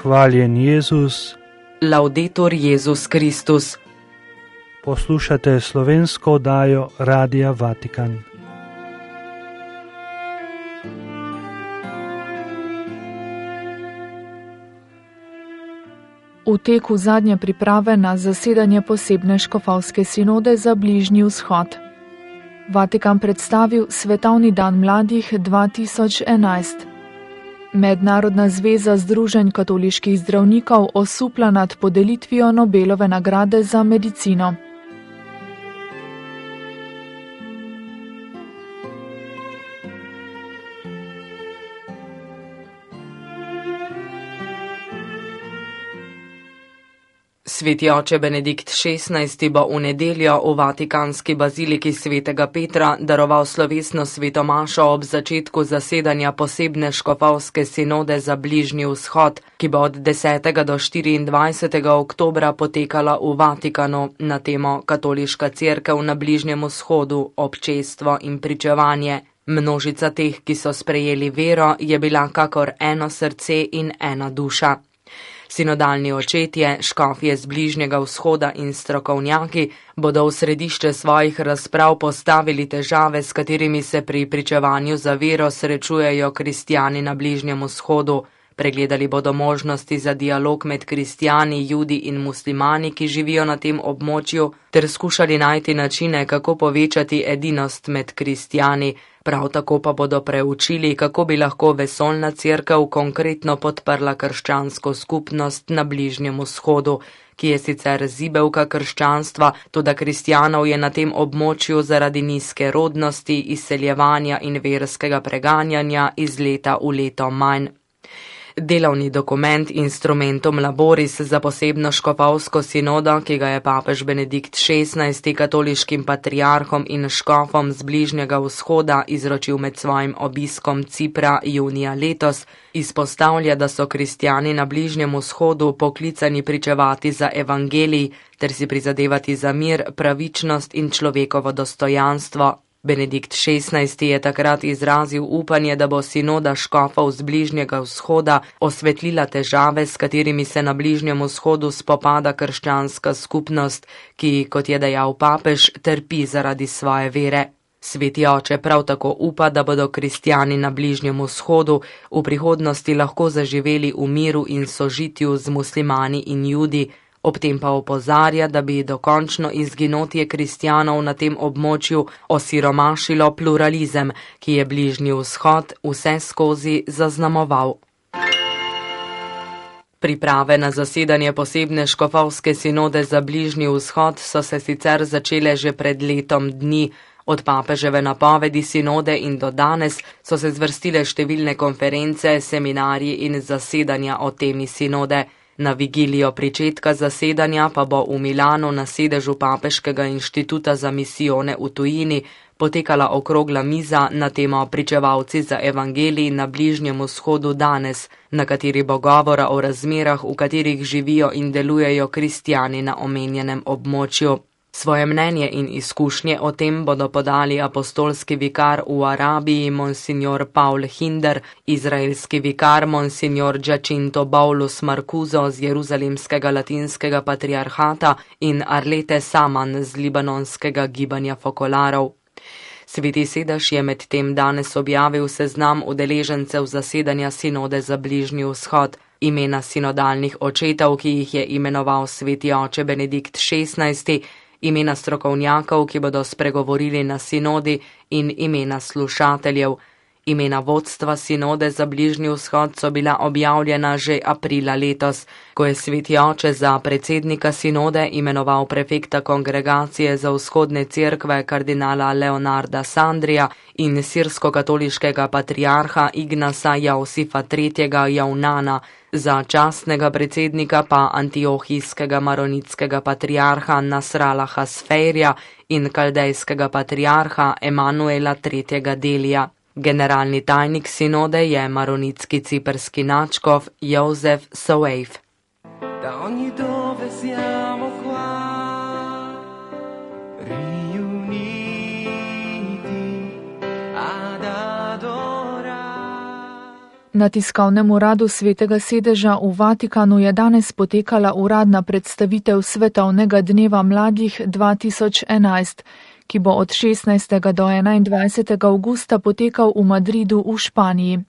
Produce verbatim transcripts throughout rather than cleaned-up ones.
Hvaljen Jezus. Laudetur Jezus Kristus. Poslušate slovensko oddajo Radia Vatikan. V teku zadnje priprave na zasedanje posebne škofovske sinode za Bližnji vzhod. Vatikan predstavil Svetovni dan mladih dva tisoč enajst. Mednarodna zveza združenj katoliških zdravnikov osupla nad podelitvijo Nobelove nagrade za medicino. Sveti oče Benedikt šestnajsti bo v nedeljo v vatikanski baziliki svetega Petra daroval slovesno sveto mašo ob začetku zasedanja posebne škofovske sinode za Bližnji vzhod, ki bo od desetega do štiriindvajsetega oktobra potekala v Vatikanu na temo Katoliška cerkev na Bližnjem vzhodu, občestvo in pričevanje. Množica teh, ki so sprejeli vero, je bila kakor eno srce in ena duša. Sinodalni očetje, škofje z Bližnjega vzhoda in strokovnjaki bodo v središče svojih razprav postavili težave, s katerimi se pri pričevanju za vero srečujejo kristjani na Bližnjem vzhodu. Pregledali bodo možnosti za dialog med kristjani, judi in muslimani, ki živijo na tem območju, ter skušali najti načine, kako povečati edinost med kristjani. Prav tako pa bodo preučili, kako bi lahko vesoljna cerkev konkretno podprla krščansko skupnost na Bližnjem vzhodu, ki je sicer zibelka krščanstva, toda kristjanov je na tem območju zaradi nizke rodnosti, izseljevanja in verskega preganjanja iz leta v leto manj. Delovni dokument Instrumentum Laboris za posebno škofovsko sinodo, ki ga je papež Benedikt šestnajsti katoliškim patriarhom in škofom z Bližnjega vzhoda izročil med svojim obiskom Cipra junija letos, izpostavlja, da so kristjani na Bližnjem vzhodu poklicani pričevati za evangelij ter si prizadevati za mir, pravičnost in človekovo dostojanstvo. Benedikt šestnajsti je takrat izrazil upanje, da bo sinoda škofov z Bližnjega vzhoda osvetlila težave, s katerimi se na Bližnjem vzhodu spopada krščanska skupnost, ki, kot je dejal papež, trpi zaradi svoje vere. Sveti oče prav tako upa, da bodo kristjani na Bližnjem vzhodu v prihodnosti lahko zaživeli v miru in sožitju z muslimani in judi. Ob tem pa opozarja, da bi dokončno izginotje kristjanov na tem območju osiromašilo pluralizem, ki je Bližnji vzhod vse skozi zaznamoval. Priprave na zasedanje posebne škofovske sinode za Bližnji vzhod so se sicer začele že pred letom dni. Od papeževe napovedi sinode in do danes so se zvrstile številne konference, seminarji in zasedanja o temi sinode. Na vigilijo pričetka zasedanja pa bo v Milanu na sedežu Papeškega inštituta za misijone v tujini potekala okrogla miza na temo Pričevalci za evangelij na Bližnjem vzhodu danes, na kateri bo govora o razmerah, v katerih živijo in delujejo kristjani na omenjenem območju. Svoje mnenje in izkušnje o tem bodo podali apostolski vikar v Arabiji monsignor Paul Hinder, izraelski vikar monsignor Giacinto Paulus Marcuso z Jeruzalemskega latinskega patriarhata in Arlete Saman z libanonskega gibanja fokolarov. Sveti sedež je med tem danes objavil seznam udeležencev zasedanja sinode za Bližnji vzhod. Imena sinodalnih očetov, ki jih je imenoval sveti oče Benedikt šestnajsti, imena strokovnjakov, ki bodo spregovorili na sinodi, in imena slušateljev. Imena vodstva sinode za Bližnji vzhod so bila objavljena že aprila letos, ko je sveti oče za predsednika sinode imenoval prefekta kongregacije za vzhodne cerkve kardinala Leonarda Sandrija in sirsko-katoliškega patriarha Ignasa Jausifa tretjega Jaunana, za častnega predsednika pa antiohijskega maronitskega patriarha Nasralaha Sfeirja in kaldejskega patriarha Emanuela tretjega Delija. Generalni tajnik sinode je maronitski ciprski nadškof Jozef Soueif. Da ogni dove siamo qua, riuniti ad adorare. Na tiskovnem uradu Svetega sedeža v Vatikanu je danes potekala uradna predstavitev Svetovnega dneva mladih dva tisoč enajst, ki bo od šestnajstega do enaindvajsetega avgusta potekal v Madridu v Španiji.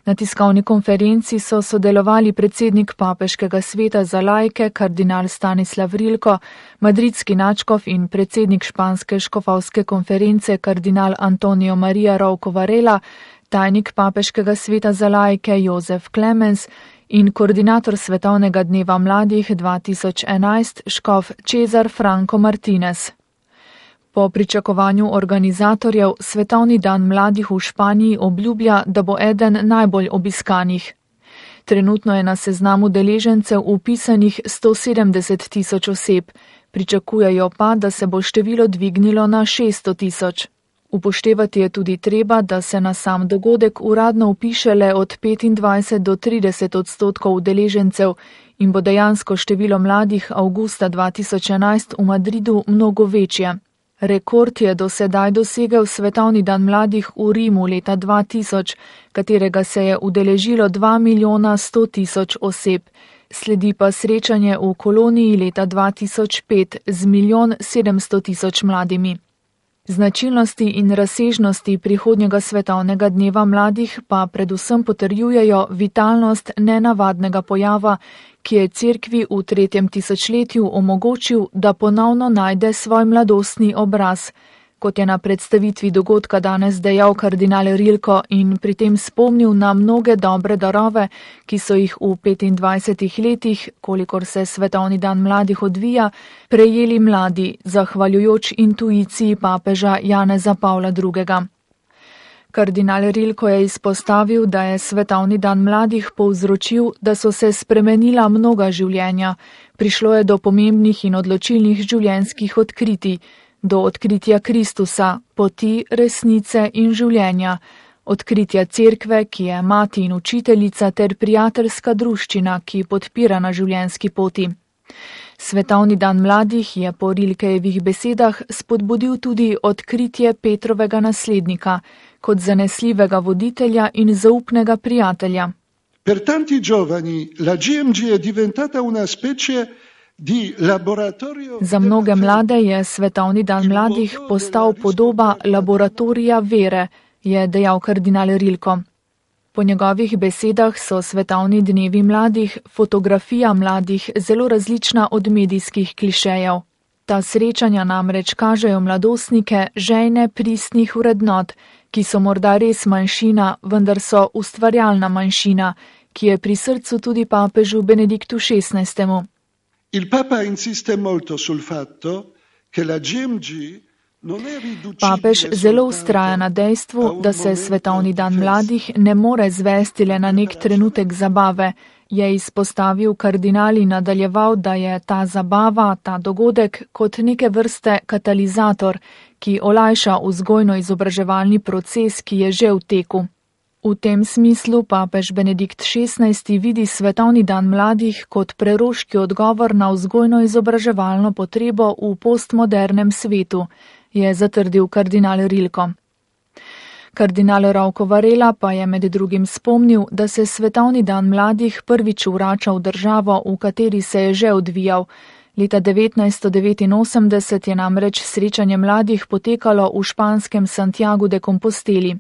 Na tiskovni konferenci so sodelovali predsednik Papeškega sveta za laike, kardinal Stanislav Rilko, madridski nadškof in predsednik Španske škofovske konference, kardinal Antonio Maria Rouco Varela, tajnik Papeškega sveta za laike Jozef Clemens in koordinator Svetovnega dneva mladih dva tisoč enajst škof Cezar Franco Martinez. Po pričakovanju organizatorjev Svetovni dan mladih v Španiji obljublja, da bo eden najbolj obiskanih. Trenutno je na seznamu deležencev upisanih sto sedemdeset tisoč oseb, pričakujejo pa, da se bo število dvignilo na šeststo tisoč. Upoštevati je tudi treba, da se na sam dogodek uradno upiše le od petindvajset do trideset odstotkov udeležencev in bo dejansko število mladih avgusta dva tisoč enajst v Madridu mnogo večje. Rekord je do sedaj dosegel Svetovni dan mladih v Rimu leta dva tisoč, katerega se je udeležilo dva milijona sto tisoč oseb. Sledi pa srečanje v Koloniji leta dva tisoč pet z milijon sedemsto tisoč mladimi. Značilnosti in razsežnosti prihodnjega Svetovnega dneva mladih pa predvsem potrjujejo vitalnost nenavadnega pojava, ki je cerkvi v tretjem tisočletju omogočil, da ponovno najde svoj mladostni obraz, kot je na predstavitvi dogodka danes dejal kardinal Rilko in pri tem spomnil na mnoge dobre darove, ki so jih v petindvajsetih letih, kolikor se Svetovni dan mladih odvija, prejeli mladi, zahvaljujoč intuiciji papeža Janeza Pavla drugega. Kardinal Rilko je izpostavil, da je Svetovni dan mladih povzročil, da so se spremenila mnoga življenja, prišlo je do pomembnih in odločilnih življenjskih odkritij, do odkritja Kristusa, poti, resnice in življenja, odkritja cerkve, ki je mati in učiteljica ter prijateljska druščina, ki podpira na življenjski poti. Svetovni dan mladih je po Rilkejevih besedah spodbudil tudi odkritje Petrovega naslednika, kot zanesljivega voditelja in zaupnega prijatelja. Per tanti giovani la G M G è diventata una specie di laboratorio. Za mnoge mlade je Svetovni dan mladih postal podoba laboratorija vere, je dejal kardinal Rilko. Po njegovih besedah so Svetovni dnevi mladih fotografija mladih zelo različna od medijskih klišejev. Ta srečanja namreč kažejo mladostnike žejne pristnih vrednot, ki so morda res manjšina, vendar so ustvarjalna manjšina, ki je pri srcu tudi papežu Benediktu šestnajstemu. Il Papa insiste molto sul fatto che la G M G non è riducibile. Papež zelo ustraja na dejstvu, da se Svetovni dan mladih ne more zvesti le na nek trenutek zabave, je izpostavil kardinal in nadaljeval, da je ta zabava, ta dogodek kot neke vrste katalizator, ki olajša vzgojno-izobraževalni proces, ki je že v teku. V tem smislu papež Benedikt šestnajsti vidi Svetovni dan mladih kot preroški odgovor na vzgojno-izobraževalno potrebo v postmodernem svetu, je zatrdil kardinal Rilko. Kardinal Rouco Varela pa je med drugim spomnil, da se Svetovni dan mladih prvič vrača v državo, v kateri se je že odvijal. Leta devetnajststo devetinosemdeset je namreč srečanje mladih potekalo v španskem Santiagu de Composteli.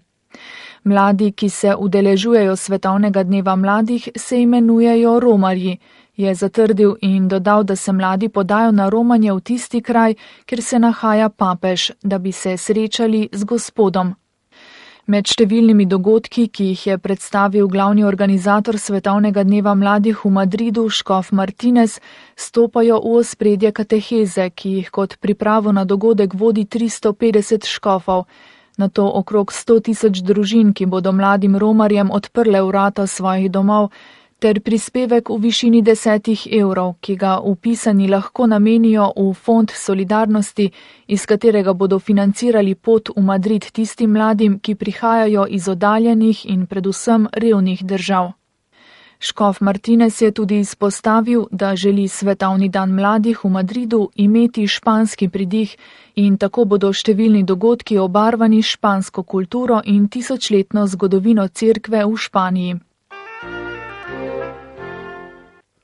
Mladi, ki se udeležujejo Svetovnega dneva mladih, se imenujejo romarji, je zatrdil in dodal, da se mladi podajo na romanje v tisti kraj, kjer se nahaja papež, da bi se srečali z Gospodom. Med številnimi dogodki, ki jih je predstavil glavni organizator Svetovnega dneva mladih v Madridu, škof Martinez, stopajo v ospredje kateheze, ki jih kot pripravo na dogodek vodi tristo petdeset škofov, nato okrog sto tisoč družin, ki bodo mladim romarjem odprle vrata svojih domov, ter prispevek v višini desetih evrov, ki ga vpisani lahko namenijo v fond solidarnosti, iz katerega bodo financirali pot v Madrid tistim mladim, ki prihajajo iz oddaljenih in predvsem revnih držav. Škof Martinez je tudi izpostavil, da želi svetovni dan mladih v Madridu imeti španski pridih in tako bodo številni dogodki obarvani s špansko kulturo in tisočletno zgodovino cerkve v Španiji.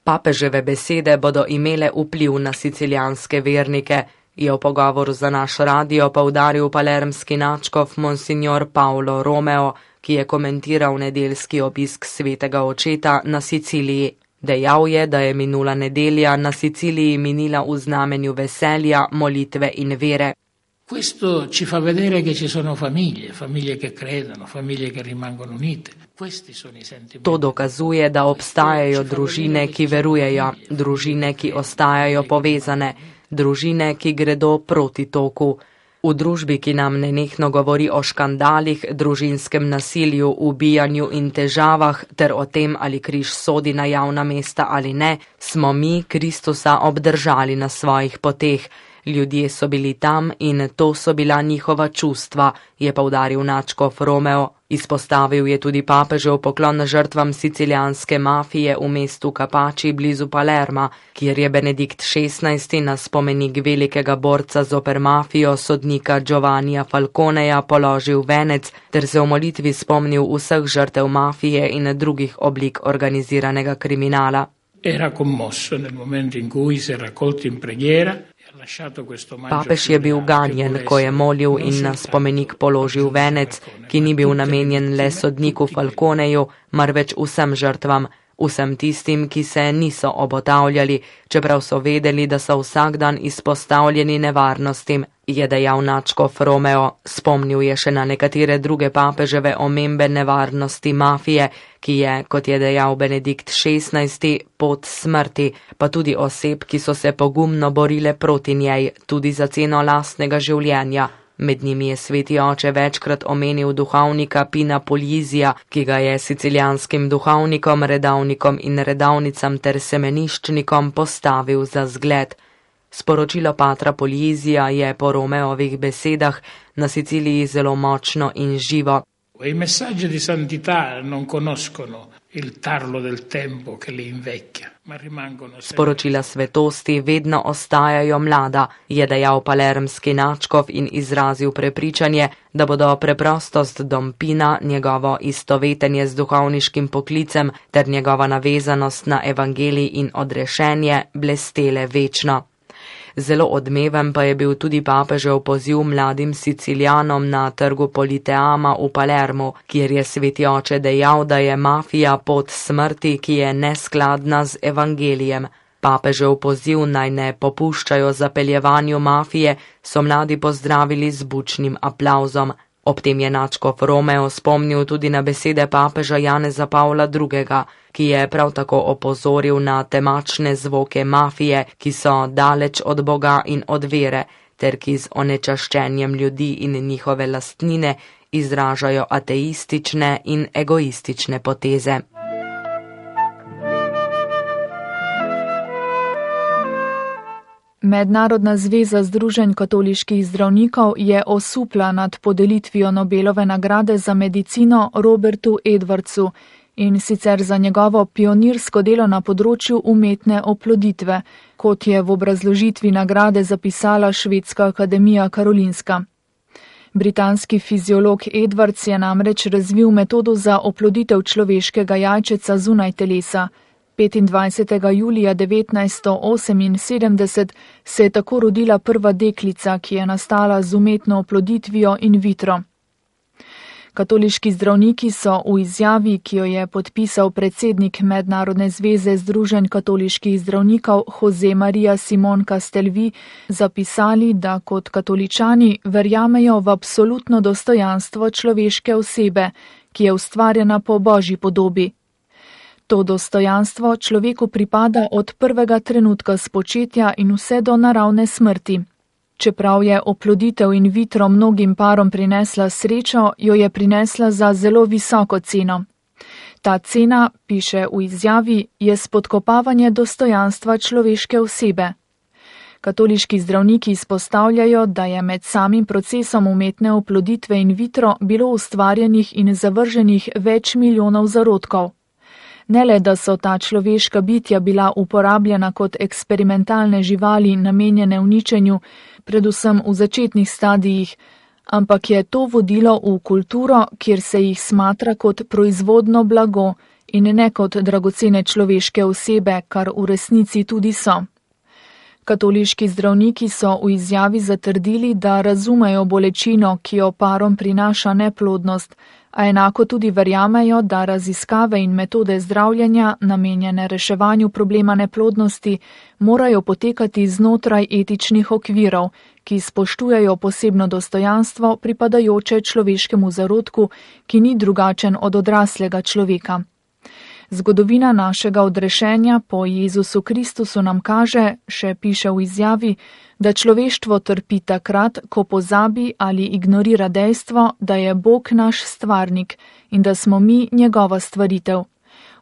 Papeževe besede bodo imele vpliv na sicilijanske vernike, je v pogovoru za naš radio poudaril palermski nadškof monsignor Paolo Romeo, ki je komentiral nedeljski obisk svetega očeta na Siciliji. Dejal je, da je minula nedelja na Siciliji minila v znamenju veselja, molitve in vere. Questo ci fa vedere che ci sono famiglie, famiglie che credono, famiglie che rimangono unite. Questi sono i sentimenti. To dokazuje, da obstajajo družine, ki verujejo, družine, ki ostajajo povezane, družine, ki gredo proti toku. V družbi, ki nam nenehno govori o škandalih, družinskem nasilju, ubijanju in težavah ter o tem, ali križ sodi na javna mesta ali ne, smo mi Kristusa obdržali na svojih poteh. Ljudje so bili tam in to so bila njihova čustva, je poudaril nadškof Romeo. Izpostavil je tudi papežev poklon žrtvam sicilijanske mafije v mestu Capaci blizu Palerma, kjer je Benedikt šestnajsti na spomenik velikega borca zoper mafijo sodnika Giovannija Falconeja položil venec ter se v molitvi spomnil vseh žrtev mafije in drugih oblik organiziranega kriminala. Era commosso nel momento in cui si è raccolto in preghiera. Papež je bil ganjen, ko je molil in na spomenik položil venec, ki ni bil namenjen le sodniku Falconeju, marveč vsem žrtvam, vsem tistim, ki se niso obotavljali, čeprav so vedeli, da so vsak dan izpostavljeni nevarnostim, je dejal nadškof Romeo. Spomnil je še na nekatere druge papeževe omembe nevarnosti mafije, ki je, kot je dejal Benedikt šestnajsti, pot smrti, pa tudi oseb, ki so se pogumno borile proti njej, tudi za ceno lastnega življenja. Med njimi je sveti oče večkrat omenil duhovnika Pina Puglisia, ki ga je sicilijanskim duhovnikom, redavnikom in redavnicam ter semeniščnikom postavil za zgled. Sporočilo patra Puglisia je po Romeovih besedah na Siciliji zelo močno in živo. I messaggi di santità non conoscono il tarlo del tempo che li invecchia, ma rimangono sempre. Sporočila svetosti vedno ostajajo mlada, je dejal palermski nadškof in izrazil prepričanje, da bodo preprostost Dom Pina, njegovo istovetenje z duhovniškim poklicem ter njegova navezanost na evangelij in odrešenje blestele večno. Zelo odmeven pa je bil tudi papežev poziv mladim Sicilijanom na trgu Politeama v Palermu, kjer je sveti oče dejal, da je mafija pot smrti, ki je neskladna z evangelijem. Papežev poziv naj ne popuščajo zapeljevanju mafije so mladi pozdravili z bučnim aplavzom. Ob tem je nadškof Romeo spomnil tudi na besede papeža Janeza Pavla drugega, ki je prav tako opozoril na temačne zvoke mafije, ki so daleč od Boga in od vere, ter ki z onečaščenjem ljudi in njihove lastnine izražajo ateistične in egoistične poteze. Mednarodna zveza združenj katoliških zdravnikov je osupla nad podelitvijo Nobelove nagrade za medicino Robertu Edwardsu in sicer za njegovo pionirsko delo na področju umetne oploditve, kot je v obrazložitvi nagrade zapisala Švedska akademija Karolinska. Britanski fiziolog Edwards je namreč razvil metodo za oploditev človeškega jajčeca zunaj telesa. petindvajsetega julija devetnajststo oseminsedemdeset se je tako rodila prva deklica, ki je nastala z umetno oploditvijo in vitro. Katoliški zdravniki so v izjavi, ki jo je podpisal predsednik Mednarodne zveze združenj katoliških zdravnikov Jose Maria Simon Castelvi, zapisali, da kot katoličani verjamejo v absolutno dostojanstvo človeške osebe, ki je ustvarjena po Božji podobi. To dostojanstvo človeku pripada od prvega trenutka spočetja in vse do naravne smrti. Čeprav je oploditev in vitro mnogim parom prinesla srečo, jo je prinesla za zelo visoko ceno. Ta cena, piše v izjavi, je spodkopavanje dostojanstva človeške osebe. Katoliški zdravniki izpostavljajo, da je med samim procesom umetne oploditve in vitro bilo ustvarjenih in zavrženih več milijonov zarodkov. Ne le, da so ta človeška bitja bila uporabljena kot eksperimentalne živali namenjene uničenju, predvsem v začetnih stadijih, ampak je to vodilo v kulturo, kjer se jih smatra kot proizvodno blago in ne kot dragocene človeške osebe, kar v resnici tudi so. Katoliški zdravniki so v izjavi zatrdili, da razumejo bolečino, ki jo parom prinaša neplodnost, a enako tudi verjamejo, da raziskave in metode zdravljenja, namenjene reševanju problema neplodnosti, morajo potekati znotraj etičnih okvirov, ki spoštujejo posebno dostojanstvo pripadajoče človeškemu zarodku, ki ni drugačen od odraslega človeka. Zgodovina našega odrešenja po Jezusu Kristusu nam kaže, še piše v izjavi, da človeštvo trpi takrat, ko pozabi ali ignorira dejstvo, da je Bog naš stvarnik in da smo mi njegova stvaritev.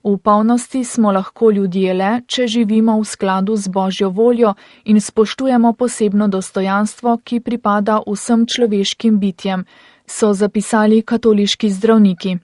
V polnosti smo lahko ljudje le, če živimo v skladu z Božjo voljo in spoštujemo posebno dostojanstvo, ki pripada vsem človeškim bitjem, so zapisali katoliški zdravniki.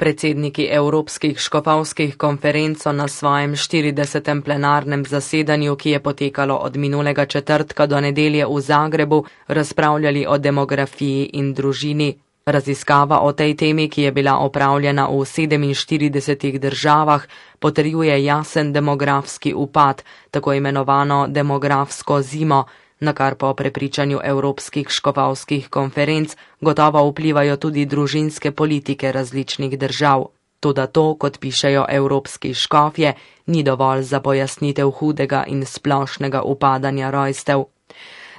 Predsedniki Evropskih škofovskih konferenc so na svojem štiridesetem plenarnem zasedanju, ki je potekalo od minulega četrtka do nedelje v Zagrebu, razpravljali o demografiji in družini. Raziskava o tej temi, ki je bila opravljena v sedeminštiridesetih državah, potrjuje jasen demografski upad, tako imenovano demografsko zimo, na kar po prepričanju Evropskih škofovskih konferenc gotovo vplivajo tudi družinske politike različnih držav. Toda to, kot pišejo evropski škofje, ni dovolj za pojasnitev hudega in splošnega upadanja rojstev.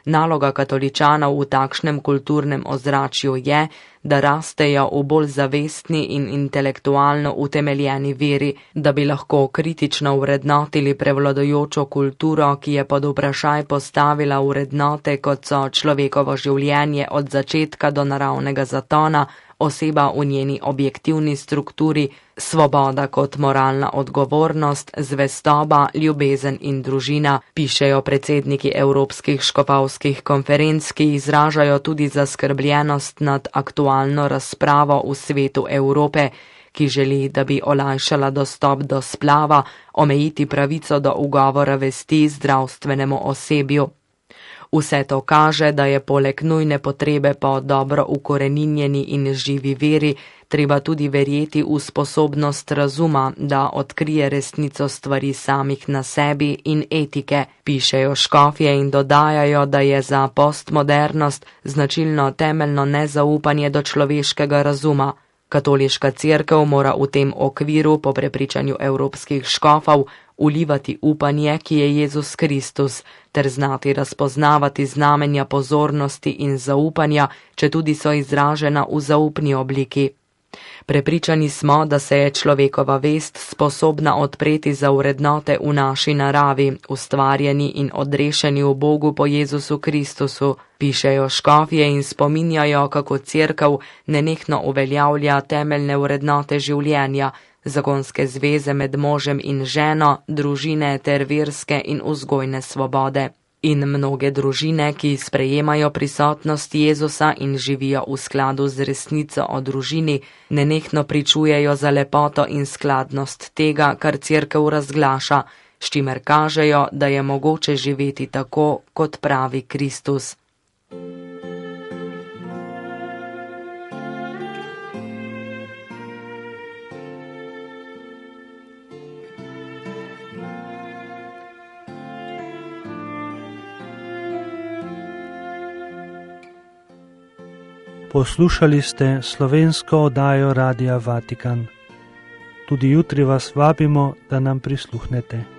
Naloga katoličanov v takšnem kulturnem ozračju je, da rastejo v bolj zavestni in intelektualno utemeljeni veri, da bi lahko kritično vrednotili prevladujočo kulturo, ki je pod vprašaj postavila vrednote, kot so človekovo življenje od začetka do naravnega zatona, oseba v njeni objektivni strukturi, svoboda kot moralna odgovornost, zvestoba, ljubezen in družina, pišejo predsedniki Evropskih škofovskih konferenc, ki izražajo tudi zaskrbljenost nad aktualno razpravo v svetu Evrope, ki želi, da bi olajšala dostop do splava, omejiti pravico do ugovora vesti zdravstvenemu osebju. Vse to kaže, da je poleg nujne potrebe po dobro ukoreninjeni in živi veri, treba tudi verjeti v sposobnost razuma, da odkrije resnico stvari samih na sebi in etike, pišejo škofje in dodajajo, da je za postmodernost značilno temeljno nezaupanje do človeškega razuma. Katoliška cerkev mora v tem okviru, po prepričanju evropskih škofov, ulivati upanje, ki je Jezus Kristus, ter znati razpoznavati znamenja pozornosti in zaupanja, če tudi so izražena v zaupni obliki. Prepričani smo, da se je človekova vest sposobna odpreti za vrednote v naši naravi, ustvarjeni in odrešeni v Bogu po Jezusu Kristusu, pišejo škofje in spominjajo, kako cerkev nenehno uveljavlja temeljne vrednote življenja, zakonske zveze med možem in ženo, družine ter verske in vzgojne svobode. In mnoge družine, ki sprejemajo prisotnost Jezusa in živijo v skladu z resnico o družini, nenehno pričujejo za lepoto in skladnost tega, kar cerkev razglaša, s čimer kažejo, da je mogoče živeti tako, kot pravi Kristus. Poslušali ste slovensko oddajo Radia Vatikan. Tudi jutri vas vabimo, da nam prisluhnete.